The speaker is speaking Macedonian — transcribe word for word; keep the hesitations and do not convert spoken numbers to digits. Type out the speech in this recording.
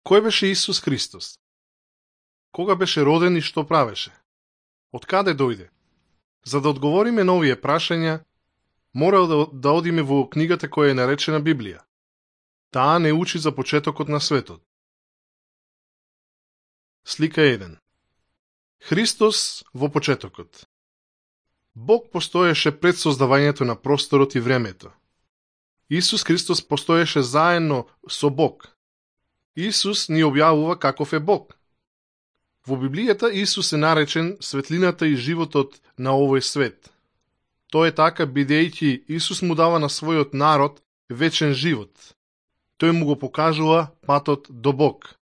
Кој беше Исус Христос? Кога беше роден и што правеше? Од каде дојде? За да одговориме на овие прашања, мора да, да одиме во книгата која е наречена Библија. Таа не учи за почетокот на светот. Слика еден. Христос во почетокот. Бог постоеше пред создавањето на просторот и времето. Исус Христос постоеше заедно со Бог. Исус ни објавува каков е Бог. Во Библијата Исус е наречен светлината и животот на овој свет. Тоа е така бидејќи Исус му дава на својот народ вечен живот. Тој му го покажува патот до Бог.